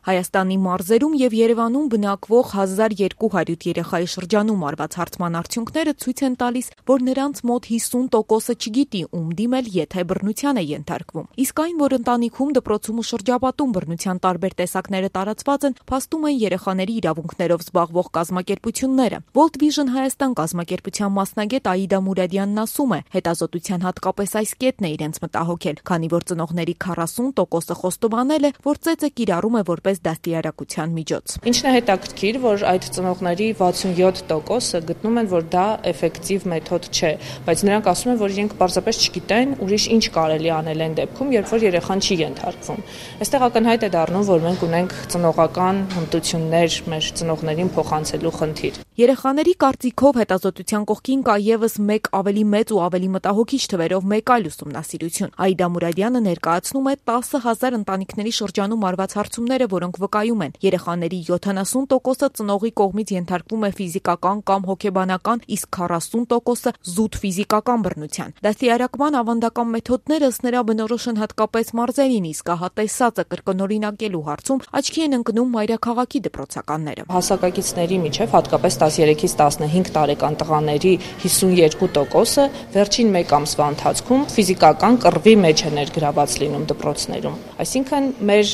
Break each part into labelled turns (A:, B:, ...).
A: Հայաստանի մարզերում եւ Երևանում բնակվող 1200 երեխայի շրջանում արված հարցման արդյունքները ցույց են տալիս, որ նրանց մոտ 50%-ը չգիտի ում դիմել, եթե բռնության է ենթարկվում։ Իսկ այն, որ ընտանիքում, դպրոցում ու շրջապատում բռնության տարբեր տեսակները տարածված են, փաստում են երեխաների իրավունքներով զբաղվող կազմակերպությունները։ World Vision Հայաստան կազմակերպության մասնագետ Աիդա Մուրադյանն ասում է, հետազոտության հատկապես այս կետն է իրենց մտահոգել, քանի որ ծնողների 40%-ը խոստովանել է, որ ծեծը կիրառում է որպես դաստիարակության միջոց։
B: Ինչն է հետաքրքիր, որ այդ ծնողների 67%-ը գտնում են, որ դա էֆեկտիվ մեթոդ չէ, բայց նրանք ասում են, որ իրենք պարզապես չգիտեն ուրիշ ինչ կարելի անել այն դեպքում, երբ որ երեխան չի ենթարկվում։ Այստեղ ակնհայտ է դառնում, որ մենք ունենք ծնողական հմտություններ մեր ծնողներին փոխանցելու խնդիր։
A: Երեխաների կարծիքով հետազոտության կողքին կա եւս մեկ ավելի մեծ ու ավելի մտահոգիչ թվերով մեկ այլ ուսումնասիրություն։ Աիդա Մուրադյանը ներկայացնում է 10,000 ընտանիքների շրջանում արված հարցումները, որոնք վկայում են, երեխաների 70%-ը ծնողի կողմից ենթարկվում է ֆիզիկական կամ հոգեբանական, իսկ 40%-ը զուտ ֆիզիկական բռնության։ Դաստիարակման ավանդական մեթոդները ըստ նրա բնորոշ են հատկապես մարզերին, իսկ ահատեսածը կրկնօրինակելու հարցում աչքի են ընկնում մայրաքաղաքի դպրոցականները։
B: Հասակակիցների միջև հատկապես 13-ից 15 տարեկան տղաների 52%-ը վերջին մեկ ամսվա ընթացքում ֆիզիկական կռվի մեջ է ներգրաված լինում դպրոցներում։ Այսինքն մեր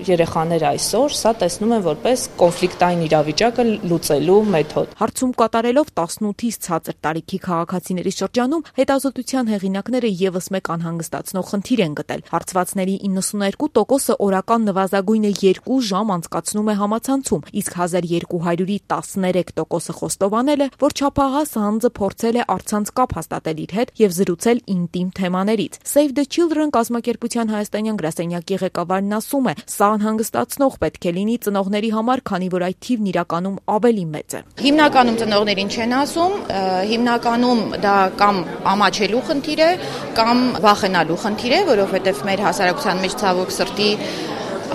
B: երեխաները այսօր սա տեսնում են որպես կոնֆլիկտային իրավիճակը լուծելու մեթոդ։
A: Հարցում կատարելով 18-ից ցածր տարիքի քաղաքացիների շրջանում հետազոտության հեղինակները եւս մեկ անհանգստացնող խնդիր են գտել։ Հարցվածների 92%-ը օրական նվազագույնը 2 ժամ անցկացնում է համացանցում, իսկ 1200-ի 13%-ը խոստովանել է, որ չափահաս անձը փորձել է առցանց կապ հաստատել իր հետ եւ զրուցել ինտիմ թեմաներից։ Save the Children կազմակերպության հայաստանյան գրասենյակի ղեկավարն ասում է, սա անհանգստացնող պետք է լինի ծնողների համար, քանի որ այդ թիվն իրականում ավելի մեծ է։
C: Հիմնականում ծնողներին չեն ասում, հիմնականում դա կամ ամաչելու խնդիր է, կամ վախենալու խնդիր է, որովհետեւ մեր հասարակության մեջ ցավոք սրտի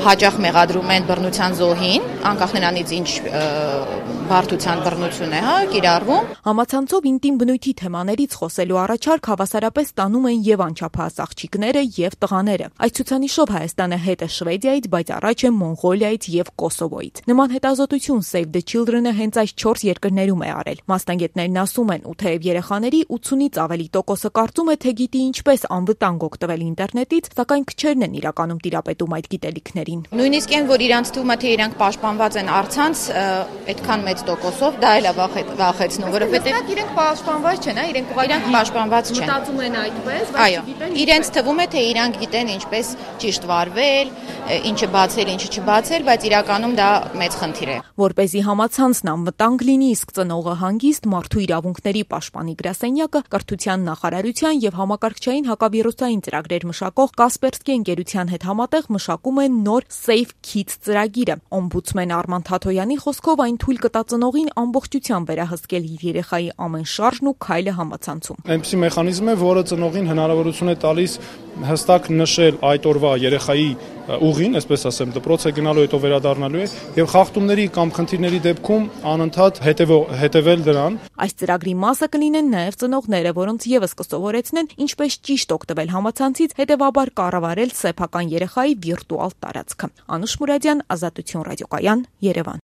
C: հաճախ մեղադրում են բռնության զոհին, անկախ նրանից ինչ բարդության բռնություն է, կիրառվում։
A: Համացանցով ինտիմ բնույթի թեմաներից խոսելու առաջարկ հավասարապես տանում են եւ անչափահաս աղջիկները եւ տղաները։ Այս ցուցանիշով Հայաստանը հետ է Շվեդիայից, բայց առաջ է Մոնղոլիայից եւ Կոսովոյից։ Նման հետազոտություն Save the Children-ը հենց այս 4 երկրներում է արել։ Մասնագետներն ասում են, ու թեև երեխաների 80-ից ավելի տոկոսը կարծում է, թե գիտի ինչպես անվտանգ օգտվել ինտերնետից, սակայն քչերն են իրականում տիրապետում այդ գիտելիքներին։
C: Նույնիսկ այն, որ իրանց թվում է, թե իրանք պաշտպանված են առցանց, այդքան մեծ տոկոսով, դա էլ է վախեցնում, որովհետեւ
D: իրենք պաշտպանված չեն, իրենք
C: պաշտպանված չեն։
D: Մտածում են այդպես, բայց
C: չգիտեն։ Իրենց թվում է, թե իրանք գիտեն ինչպես ճիշտ վարվել, ինչը բացել, ինչը չբացել, բայց իրականում դա մեծ խնդիր է։
A: Որպեսզի համացանցն անվտանգ լինի, իսկ ծնողը հանգիստ, Մարդու իրավունքների պաշտպանի գրասենյակը կրթության նախարարության եւ համակարգչային հակավիրուսային ծրագրեր մշակող Կասպերսկի ընկերության հետ համատեղ մշակում են նոր Safe Kids ծրագիրը։ Օմբուդսմեն Արման Թաթոյանի խոսքով այն թույլ կտա ծնողին ամբողջությամբ վերահսկել իր երեխայի ամեն շարժն ու քայլը համացանցում։
E: Այնպիսի մեխանիզմ է, որը ծնողին հնարավորություն է տալիս հստակ նշել այդ օրվա երեխայի ուղին, այսպես ասեմ, դպրոց է գնալու, հետո վերադառնալու է եւ խախտումների կամ խնդիրների դեպքում անընդհատ հետևել դրան։
A: Այս ծրագրի մասը կլինեն նաեւ ծնողները, որոնց եւս կսովորեցնեն ինչպես ճիշտ օգտվել համացանցից, հետեւաբար կառավարել սեփական երեխայի վիրտուալ տարածքը։ Անուշ Մուրադյան, Ազատություն ռադիոկայան, Երևան։